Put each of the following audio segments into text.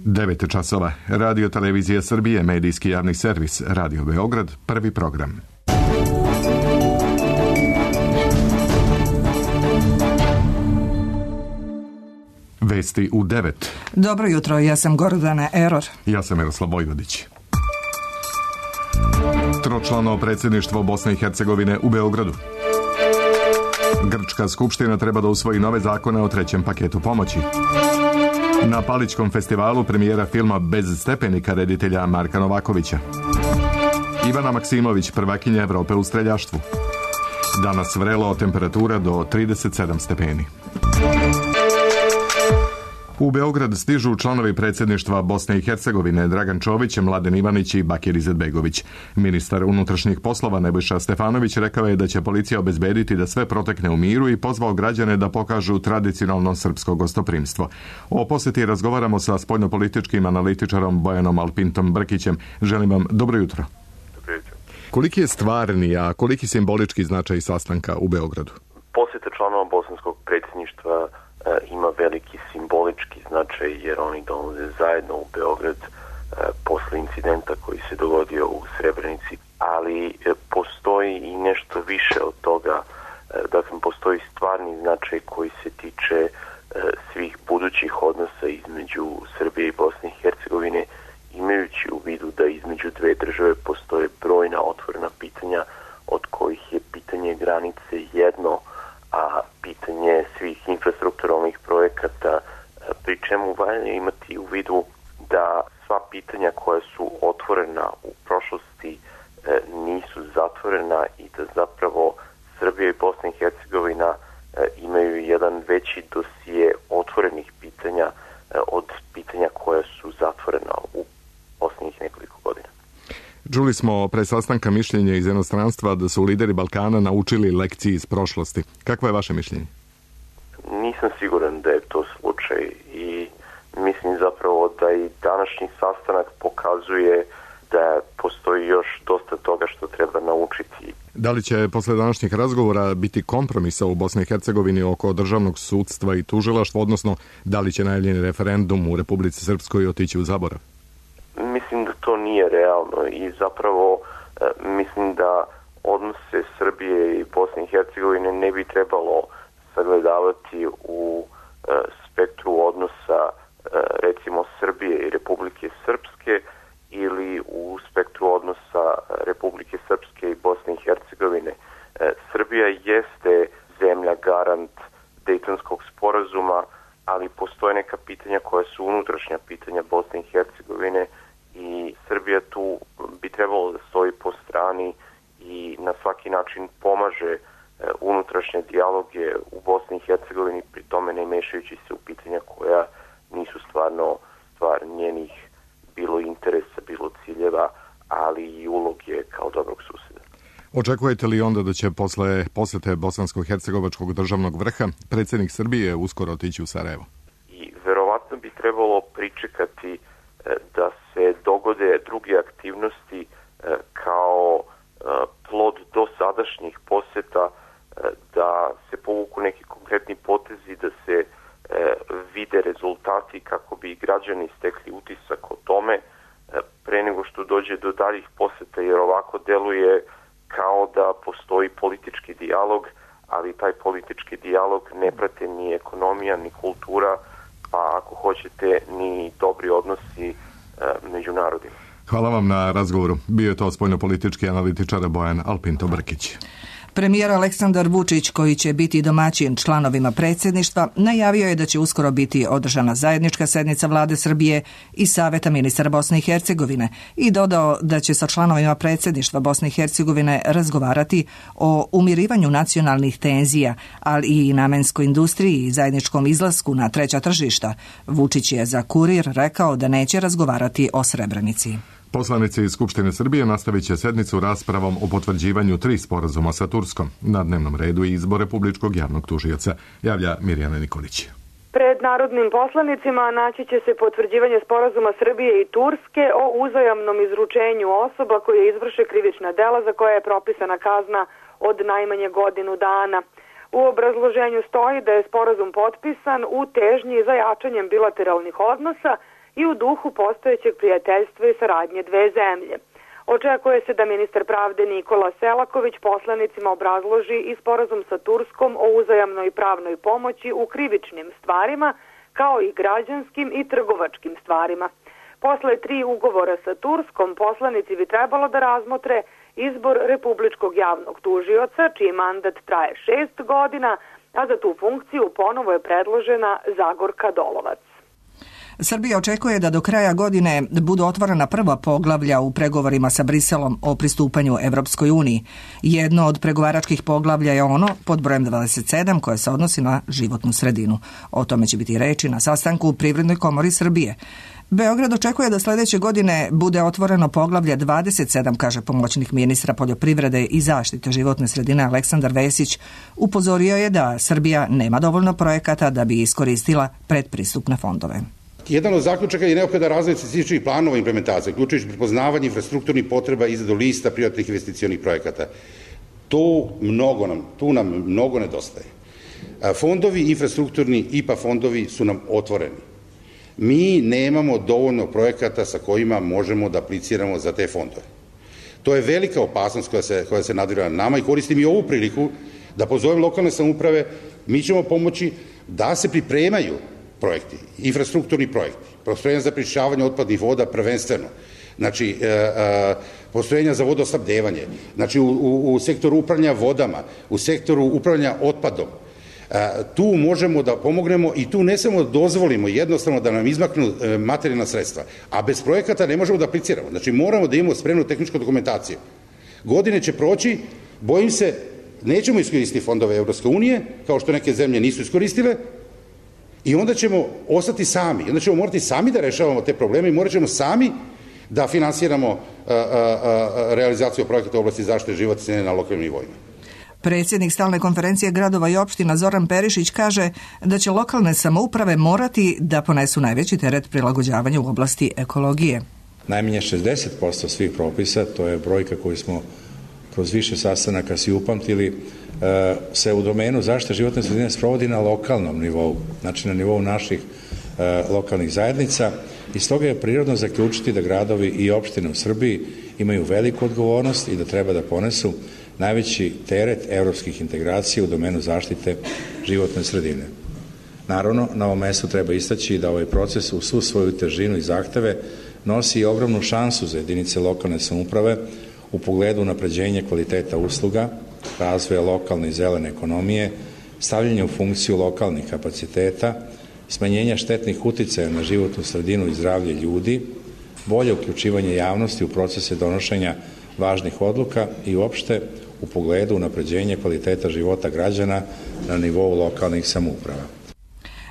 9 časova. Radio Televizija Srbije, medijski javni servis, Radio Beograd, prvi program. Vesti u 9. Dobro jutro, ja sam Gordana Eror. Ja sam Miroslav Vojvodić. Tročlano predsjedništvo Bosne i Hercegovine u Beogradu. Grčka skupština treba da usvoji nove zakone o trećem paketu pomoći. Na Palićkom festivalu premijera filma Bez stepenika reditelja Marka Novakovića. Ivana Maksimović, prvakinja Evrope u streljaštvu. Danas vrelo, temperatura do 37 stepeni. U Beograd stižu članovi predsjedništva Bosne i Hercegovine Dragan Čović, Mladen Ivanić i Bakir Izetbegović. Ministar unutrašnjih poslova Nebojša Stefanović rekao je da će policija obezbediti da sve protekne u miru i pozvao građane da pokažu tradicionalno srpsko gostoprimstvo. O posjeti razgovaramo sa spoljnopolitičkim analitičarom Bojanom Alpintom Brkićem. Želim vam dobro jutro. Dobro jutro. Koliki je stvarni, a koliki simbolički značaj sastanka u Beogradu? Posjeta članova bosanskog predsjedništva ima veliki simbolički značaj jer oni dolaze zajedno u Beograd posle incidenta koji se dogodio u Srebrenici, ali postoji i nešto više od toga, dakle postoji stvarni značaj koji se tiče svih budućih odnosa između Srbije i Bosne i Hercegovine, imajući u vidu da između dve države postoje brojna otvorena pitanja, od kojih je pitanje granice jedno, a pitanje svih infrastrukturalnih projekata, pri čemu valja imati u vidu da sva pitanja koja su otvorena u prošlosti nisu zatvorena i da zapravo Srbija i Bosna i Hercegovina imaju jedan veći dosije otvorenih pitanja od pitanja koja su zatvorena u posljednjih nekoliko godina. Čuli smo pre sastanka mišljenja iz inostranstva da su lideri Balkana naučili lekcije iz prošlosti. Kakvo je vaše mišljenje? Nisam siguran da je to slučaj i mislim zapravo da i današnji sastanak pokazuje da postoji još dosta toga što treba naučiti. Da li će posle današnjih razgovora biti kompromisa u Bosni i Hercegovini oko državnog sudstva i tužilaštva, odnosno da li će najavljeni referendum u Republici Srpskoj otići u zaborav? Mislim da to nije realno i zapravo mislim da odnose Srbije i Bosne i Hercegovine ne bi trebalo sagledavati u spektru odnosa recimo Srbije i Republike Srpske ili u spektru odnosa Republike Srpske i Bosne i Hercegovine. Srbija jeste zemlja garant Dejtonskog sporazuma, ali postoje neka pitanja koja su unutrašnja pitanja Bosne i Hercegovine i Srbija tu bi trebalo da stoji po strani i na svaki način pomaže unutrašnje dijaloge u Bosni i Hercegovini, pri tome ne mešajući se u pitanja koja nisu stvarno stvar njenih bilo interesa, bilo ciljeva, ali i uloge kao dobrog susjeda. Očekujete li onda da će posle posete Bosansko-Hercegovačkog državnog vrha predsjednik Srbije uskoro otići u Sarajevo? I verovatno bi trebalo pričekati da se dogode druge aktivnosti kao plod dosadašnjih poseta, da se povuku neki konkretni potezi, da se vide rezultati kako bi građani stekli utisak o tome pre nego što dođe do daljih poseta, jer ovako deluje kao da postoji politički dijalog, ali taj politički dijalog ne prate ni ekonomija, ni kultura, pa ako hoćete ni dobri odnosi među narodima. Hvala vam na razgovoru. Bio je to spoljnopolitički analitičar Bojan Alpinto Brkić. Premijer Aleksandar Vučić, koji će biti domaćin članovima predsjedništva, najavio je da će uskoro biti održana zajednička sednica Vlade Srbije i Saveta ministara Bosne i Hercegovine i dodao da će sa članovima predsjedništva Bosne i Hercegovine razgovarati o umirivanju nacionalnih tenzija, ali i namenskoj industriji i zajedničkom izlasku na treća tržišta. Vučić je za Kurir rekao da neće razgovarati o Srebrenici. Poslanici iz Skupštine Srbije nastavit će sednicu raspravom o potvrđivanju 3 sporazuma sa Turskom. Na dnevnom redu je izbor republičkog javnog tužioca, javlja Mirjana Nikolić. Pred narodnim poslanicima naći će se potvrđivanje sporazuma Srbije i Turske o uzajamnom izručenju osoba koje izvrše krivična dela za koje je propisana kazna od najmanje godinu dana. U obrazloženju stoji da je sporazum potpisan u težnji za jačanjem bilateralnih odnosa i u duhu postojećeg prijateljstva i saradnje dve zemlje. Očekuje se da ministar pravde Nikola Selaković poslanicima obrazloži i sporazum sa Turskom o uzajamnoj pravnoj pomoći u krivičnim stvarima, kao i građanskim i trgovačkim stvarima. Posle 3 ugovora sa Turskom, poslanici bi trebalo da razmotre izbor republičkog javnog tužioca, čiji mandat traje 6 godina, a za tu funkciju ponovo je predložena Zagorka Dolovac. Srbija očekuje da do kraja godine budu otvorena prva poglavlja u pregovorima sa Briselom o pristupanju Evropskoj uniji. Jedno od pregovaračkih poglavlja je ono pod brojem 27 koje se odnosi na životnu sredinu. O tome će biti reči na sastanku u Privrednoj komori Srbije. Beograd očekuje da sljedeće godine bude otvoreno poglavlje 27, kaže pomoćnik ministra poljoprivrede i zaštite životne sredine Aleksandar Vesić. Upozorio je da Srbija nema dovoljno projekata da bi iskoristila predpristupne fondove. Jedan od zaključaka je neophodan razvoj specifičnih planova implementacije, uključujući prepoznavanje infrastrukturnih potreba i izradu lista privatnih investicionih projekata. Tu nam mnogo nedostaje. Fondovi infrastrukturni, IPA fondovi su nam otvoreni. Mi nemamo dovoljno projekata sa kojima možemo da apliciramo za te fondove. To je velika opasnost koja se nadvira na nama i koristim i ovu priliku da pozovem lokalne samouprave, mi ćemo pomoći da se pripremaju projekti, infrastrukturni projekti, postrojenja za prečišćavanje otpadnih voda prvenstveno, znači postrojenja za vodosnabdevanje, znači u sektoru upravljanja vodama, u sektoru upravljanja otpadom. Tu možemo da pomognemo i tu ne samo da dozvolimo jednostavno da nam izmaknu materijalna sredstva, a bez projekata ne možemo da apliciramo. Znači moramo da imamo spremnu tehničku dokumentaciju. Godine će proći, bojim se, nećemo iskoristiti fondove Evropske unije, kao što neke zemlje nisu iskoristile, i onda ćemo ostati sami. Onda ćemo morati sami da rešavamo te probleme i morat ćemo sami da finansiramo realizaciju projekata u oblasti zaštite životne sredine na lokalnim nivoima. Predsjednik Stalne konferencije gradova i opština Zoran Perišić kaže da će lokalne samouprave morati da ponesu najveći teret prilagođavanja u oblasti ekologije. Najmanje 60% svih propisa, to je brojka koju smo kroz više sastanaka si upamtili, se u domenu zaštite životne sredine sprovodi na lokalnom nivou, znači na nivou naših lokalnih zajednica, i stoga je prirodno zaključiti da gradovi i opštine u Srbiji imaju veliku odgovornost i da treba da ponesu najveći teret evropskih integracija u domenu zaštite životne sredine. Naravno, na ovom mestu treba istaći da ovaj proces u svu svoju težinu i zahteve nosi i ogromnu šansu za jedinice lokalne samouprave u pogledu unapređenja kvaliteta usluga, razvoja lokalne i zelene ekonomije, stavljanja u funkciju lokalnih kapaciteta, smanjenja štetnih uticaja na životnu sredinu i zdravlje ljudi, bolje uključivanje javnosti u procese donošenja važnih odluka i uopšte u pogledu unapređenja kvaliteta života građana na nivou lokalnih samouprava.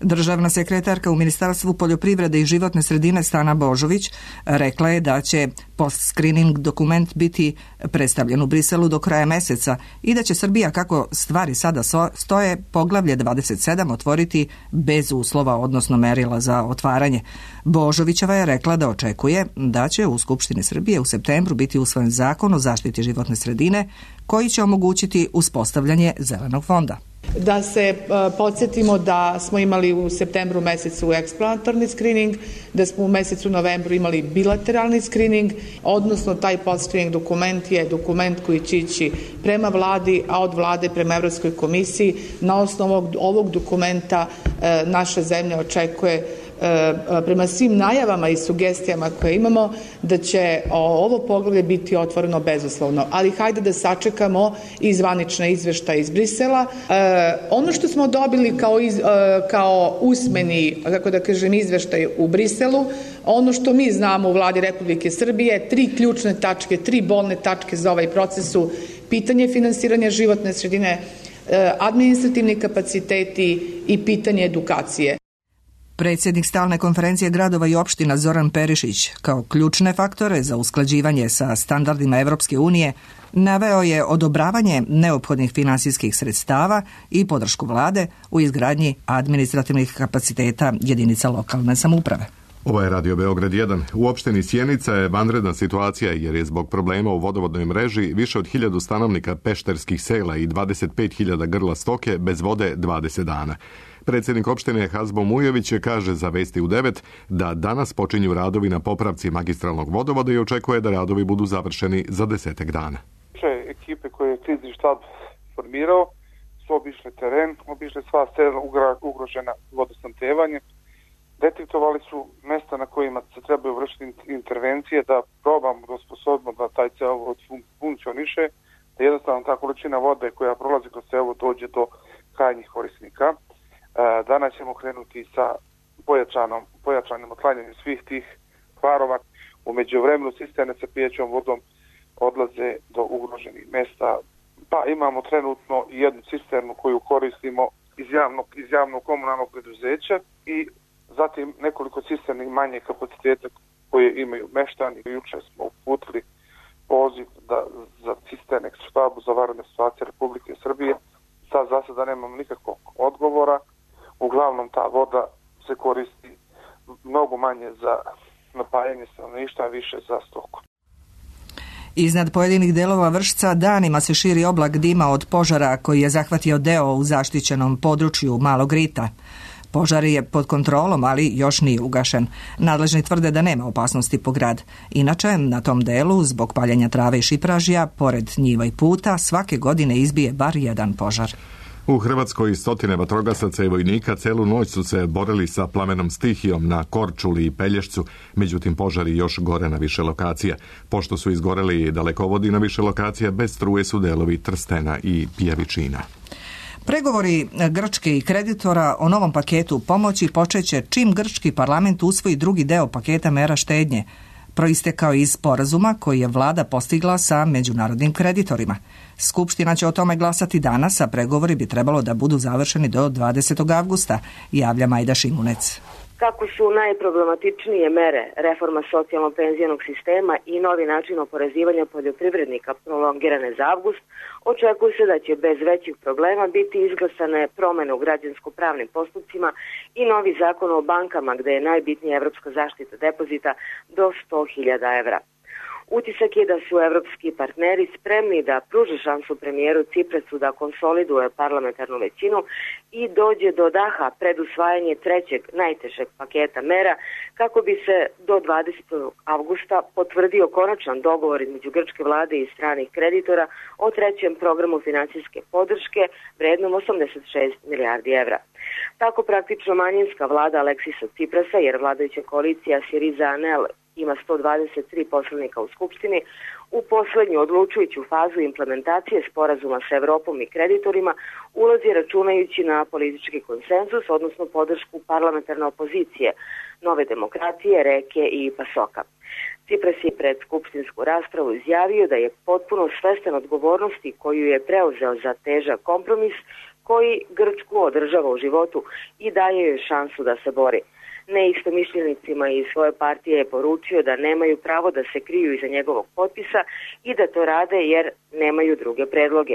Državna sekretarka u Ministarstvu poljoprivrede i životne sredine Stana Božović rekla je da će post-screening dokument biti predstavljen u Briselu do kraja meseca i da će Srbija, kako stvari sada stoje, poglavlje 27 otvoriti bez uslova, odnosno merila za otvaranje. Božovićeva je rekla da očekuje da će u Skupštini Srbije u septembru biti usvojen zakon o zaštiti životne sredine koji će omogućiti uspostavljanje zelenog fonda. Da se podsjetimo da smo imali u septembru mesecu eksplanatorni screening, da smo u mesecu novembru imali bilateralni screening, odnosno taj post-screening dokument je dokument koji će ići prema vladi, a od vlade prema Evropskoj komisiji. Na osnovu ovog dokumenta naša zemlja očekuje, prema svim najavama i sugestijama koje imamo, da će ovo poglavlje biti otvoreno bezuslovno. Ali hajde da sačekamo i zvanične izveštaje iz Brisela. Ono što smo dobili kao usmeni, kako da kažem, izveštaj u Briselu, ono što mi znamo u vladi Republike Srbije, 3 ključne tačke, 3 bolne tačke za ovaj proces su pitanje finansiranja životne sredine, administrativni kapaciteti i pitanje edukacije. Predsjednik Stalne konferencije gradova i opština Zoran Perišić kao ključne faktore za usklađivanje sa standardima Evropske unije naveo je odobravanje neophodnih finansijskih sredstava i podršku vlade u izgradnji administrativnih kapaciteta jedinica lokalne samouprave. Ovo je Radio Beograd 1. U opštini Sjenica je vanredna situacija jer je zbog problema u vodovodnoj mreži više od 1000 stanovnika pešterskih sela i 25.000 grla stoke bez vode 20 dana. Predsjednik opštine Hazbo Mujović kaže za Vesti u 9 da danas počinju radovi na popravci magistralnog vodovoda i očekuje da radovi budu završeni za 10 dana. Ekipe koje je krizni štab formirao su obišle teren, obišle sva sela ugrožena vodosnabdevanjem, detektovali su mesta na kojima se trebaju vršiti intervencije, da probamo da osposobimo da taj cevovod funkcioniše, da jednostavno ta količina vode koja prolazi kroz cevovod dođe do krajnjih korisnika. Danas ćemo krenuti sa pojačanim otklanjanjem svih tih kvarova. U međuvremenu cisterne sa pijećom vodom odlaze do ugroženih mesta. Pa imamo trenutno jednu cisternu koju koristimo iz javnog komunalnog preduzeća i zatim nekoliko cisterni manje kapaciteta koje imaju meštani. Juče smo uputili poziv za cisterne štabu za vanredne situacije Republike Srbije. Sad za sada nemamo nikakvog odgovora. Uglavnom ta voda se koristi mnogo manje za napajanje stanovništva, više za stoku. Iznad pojedinih delova Vršca danima se širi oblak dima od požara koji je zahvatio deo u zaštićenom području Malog Rita. Požar je pod kontrolom, ali još nije ugašen. Nadležni tvrde da nema opasnosti po grad. Inače, na tom delu, zbog paljenja trave i šipražja, pored njiva i puta, svake godine izbije bar jedan požar. U Hrvatskoj stotine vatrogasaca i vojnika celu noć su se borili sa plamenom stihijom na Korčuli i Pelješcu, međutim požari još gore na više lokacija. Pošto su izgoreli dalekovodi na više lokacija, bez struje su delovi Trstena i Pijevičina. Pregovori Grčke i kreditora o novom paketu pomoći počeće čim grčki parlament usvoji drugi deo paketa mera štednje, proistekao iz sporazuma koji je vlada postigla sa međunarodnim kreditorima. Skupština će o tome glasati danas, a pregovori bi trebalo da budu završeni do 20. avgusta, javlja Majda Šimunec. Kako su najproblematičnije mere reforma socijalno-penzionog sistema i novi način oporezivanja poljoprivrednika prolongirane za avgust, očekuje se da će bez većih problema biti izglasane promene u građansko-pravnim postupcima i novi zakon o bankama gde je najbitnija evropska zaštita depozita do 100.000 evra. Utisak je da su evropski partneri spremni da pruže šansu premijeru Ciprasu da konsoliduje parlamentarnu većinu i dođe do daha pred usvajanje trećeg najtežeg paketa mera kako bi se do 20. avgusta potvrdio konačan dogovor između grčke vlade i stranih kreditora o trećem programu financijske podrške vrednom 86 milijardi evra. Tako praktično manjinska vlada Aleksisa Ciprasa, jer vladajuća koalicija Syriza-Anel ima 123 poslanika u Skupštini, u poslednju odlučujuću fazu implementacije sporazuma sa Evropom i kreditorima ulazi računajući na politički konsenzus, odnosno podršku parlamentarne opozicije, Nove demokratije, Reke i Pasoka. Cipras je pred skupštinsku raspravu izjavio da je potpuno svestan odgovornosti koju je preuzeo za težak kompromis koji Grčku održava u životu i daje joj šansu da se bori. Neistomišljenicima iz svoje partije je poručio da nemaju pravo da se kriju iza njegovog potpisa i da to rade jer nemaju druge predloge.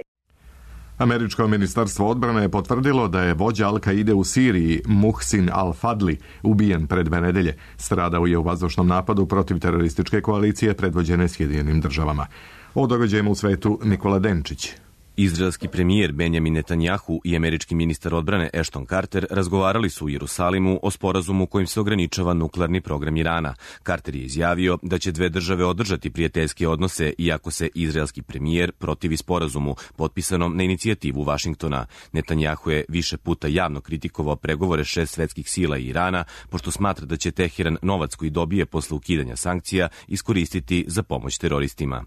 Američko ministarstvo odbrane je potvrdilo da je vođa Al-Kaide u Siriji, Muhsin al-Fadli, ubijen pred 2 nedelje. Stradao je u vazdušnom napadu protiv terorističke koalicije predvođene Sjedinjenim državama. O događajima u svetu Nikola Denčić. Izraelski premijer Benjamin Netanjahu i američki ministar odbrane Ashton Carter razgovarali su u Jerusalimu o sporazumu kojim se ograničava nuklearni program Irana. Carter je izjavio da će 2 države održati prijateljske odnose iako se izraelski premijer protivi sporazumu potpisanom na inicijativu Vašingtona. Netanjahu je više puta javno kritikovao pregovore 6 svetskih sila i Irana, pošto smatra da će Teheran novac koji dobije posle ukidanja sankcija iskoristiti za pomoć teroristima.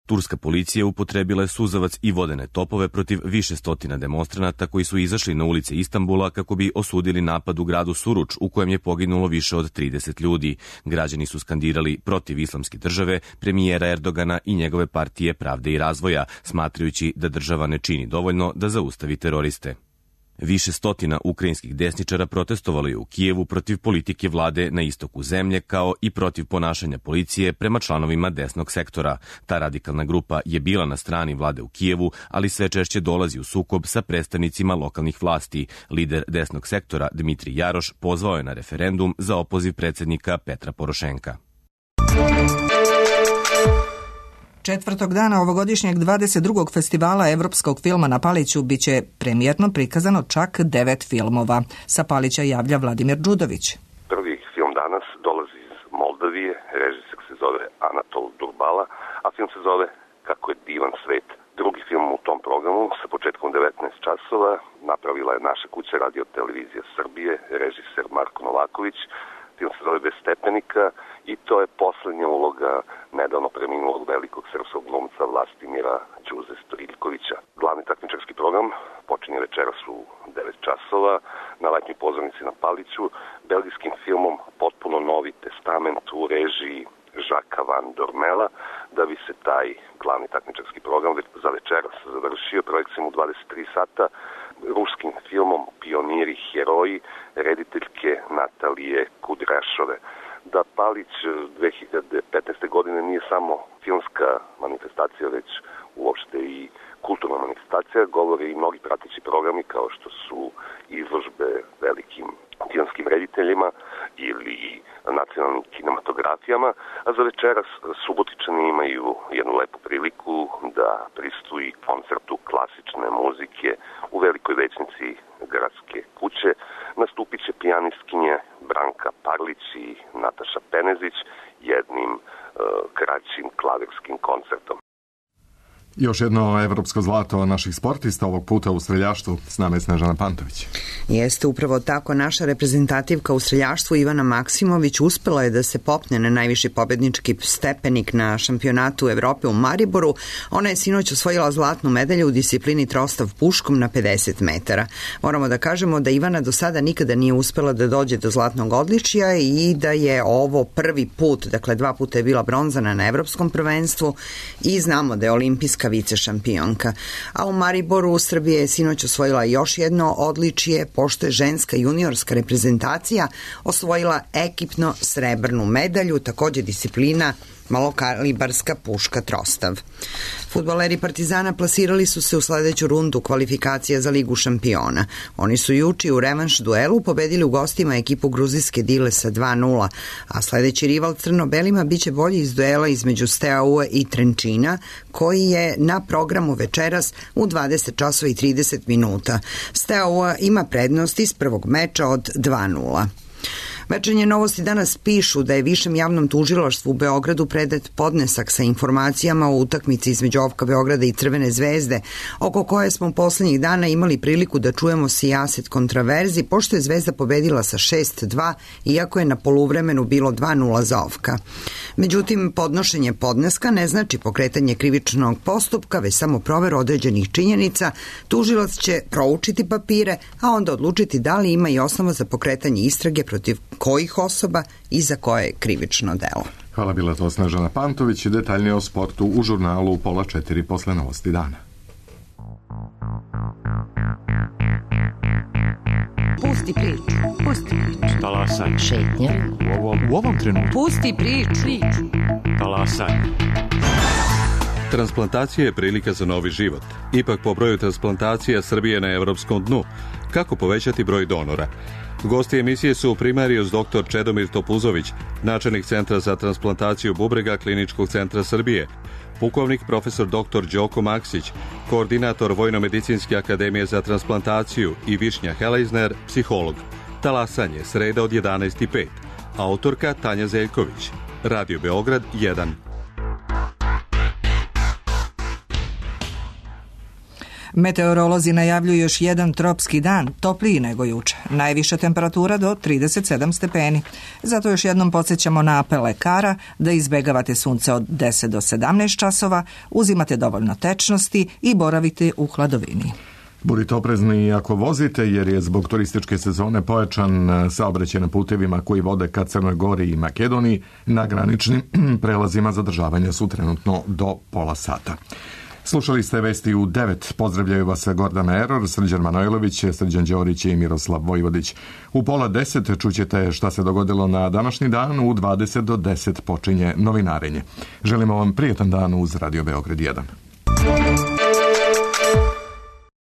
Turska policija upotrebila je suzavac i vodene topove protiv više stotina demonstranata koji su izašli na ulice Istanbula kako bi osudili napad u gradu Suruč u kojem je poginulo više od 30 ljudi. Građani su skandirali protiv islamske države, premijera Erdogana i njegove partije Pravde i razvoja, smatrajući da država ne čini dovoljno da zaustavi teroriste. Više stotina ukrajinskih desničara protestovalo je u Kijevu protiv politike vlade na istoku zemlje, kao i protiv ponašanja policije prema članovima desnog sektora. Ta radikalna grupa je bila na strani vlade u Kijevu, ali sve češće dolazi u sukob sa predstavnicima lokalnih vlasti. Lider desnog sektora Dmitrij Jaroš pozvao je na referendum za opoziv predsjednika Petra Porošenka. Četvrtog dana ovogodišnjeg 22. festivala evropskog filma na Paliću biće premijerno prikazano čak 9 filmova. Sa Palića javlja Vladimir Đudović. Prvi film danas dolazi iz Moldavije, režiser se zove Anatol Durbala, a film se zove Kako je divan svet. Drugi film u tom programu sa početkom 19 časova napravila je naša kuća Radio Televizija Srbije, režiser Marko Novaković. Film se zove Bez stepenika i to je poslednja uloga nedavno preminulog velikog srpskog glumca Vlastimira Đuze Stojiljkovića. Glavni takmičarski program počinje večeras u 9 časova na letnjoj pozornici na Paliću belgijskim filmom Potpuno novi testament u režiji Žaka Van Dormela, da bi se taj glavni takmičarski program za večeras završio projekcijom u 23 sata ruskim filmom Pioniri heroji rediteljke Natalije Kudrašove. Da Palić 2015. godine nije samo filmska manifestacija, već uopšte i kulturna manifestacija, govore i mnogi prateći programi kao što su izložbe velikim filmskim rediteljima ili nacionalnim kinematografijama, a za večeras Subotičani imaju jednu lepu priliku da pristuji koncertu klasične muzike u velikoj većnici gradske kuće. Nastupit će pijanistkinje Branka Parlić i Nataša Penezić jednim kraćim klavirskim koncertom. Još jedno evropsko zlato naših sportista, ovog puta u streljaštvu. S nama je Snežana Pantović. Jeste upravo tako. Naša reprezentativka u streljaštvu Ivana Maksimović uspela je da se popne na najviši pobednički stepenik na šampionatu Evrope u Mariboru. Ona je sinoć osvojila zlatnu medalju u disciplini trostav puškom na 50 metara. Moramo da kažemo da Ivana do sada nikada nije uspela da dođe do zlatnog odličja i da je ovo prvi put, dakle 2 puta je bila bronzana na evropskom prvenstvu i znamo da je olimpijska vice šampionka. A u Mariboru Srbija je sinoć osvojila još jedno odličje, pošto je ženska juniorska reprezentacija osvojila ekipno srebrnu medalju, takođe disciplina malokalibarska puška trostav. Fudbaleri Partizana plasirali su se u sledeću rundu kvalifikacija za Ligu šampiona. Oni su juče u revanš duelu pobedili u gostima ekipu gruzijske Dile sa 2:0, a sledeći rival crno-belima biće bolji iz duela između Steaua i Trenčina, koji je na programu večeras u 20 časova i 30 minuta. Steaua ima prednost iz prvog meča od 2:0. Večernje novosti danas pišu da je Višem javnom tužilaštvu u Beogradu predat podnesak sa informacijama o utakmici između OFK Beograda i Crvene zvezde, oko koje smo poslednjih dana imali priliku da čujemo sijaset kontraverzi, pošto je Zvezda pobedila sa 6:2, iako je na poluvremenu bilo 2:0 za OFK. Međutim, podnošenje podneska ne znači pokretanje krivičnog postupka, već samo proveru određenih činjenica. Tužilac će proučiti papire, a onda odlučiti da li ima i osnova za pokretanje istrage protiv kojih osoba i za koje krivično delo. Hvala, bila to Snežana Pantović i detaljnije o sportu u žurnalu u 3:30 posle novosti dana. Pusti priču, pusti priču. Talasaj. Šetnja. U ovom trenutku. Pusti priču. Talasaj. Transplantacija je prilika za novi život. Ipak po broju transplantacija Srbije na evropskom dnu. Kako povećati broj donora? Gosti emisije su primarijus dr. Čedomir Topuzović, načelnik Centra za transplantaciju bubrega Kliničkog centra Srbije, pukovnik profesor dr. Đoko Maksić, koordinator Vojno-medicinske akademije za transplantaciju i Višnja Helejzner, psiholog. Talasanje, sreda od 11:05. Autorka Tanja Zeljković. Radio Beograd 1. Meteorolozi najavljuju još jedan tropski dan, topliji nego juče. Najviša temperatura do 37 stepeni. Zato još jednom podsjećamo na apel lekara da izbegavate sunce od 10 do 17 časova, uzimate dovoljno tečnosti i boravite u hladovini. Budite oprezni ako vozite, jer je zbog turističke sezone pojačan saobraćaj na putevima koji vode ka Crnoj Gori i Makedoniji. Na graničnim prelazima zadržavanja su trenutno do pola sata. Slušali ste vesti u 9. Pozdravljaju vas Gordana Eror, Srđan Manojlović, Srđan Đorić i Miroslav Vojvodić. U 9:30 čućete šta se dogodilo na današnji dan, u 20 do 10 počinje novinarenje. Želimo vam prijetan dan uz Radio Beograd 1.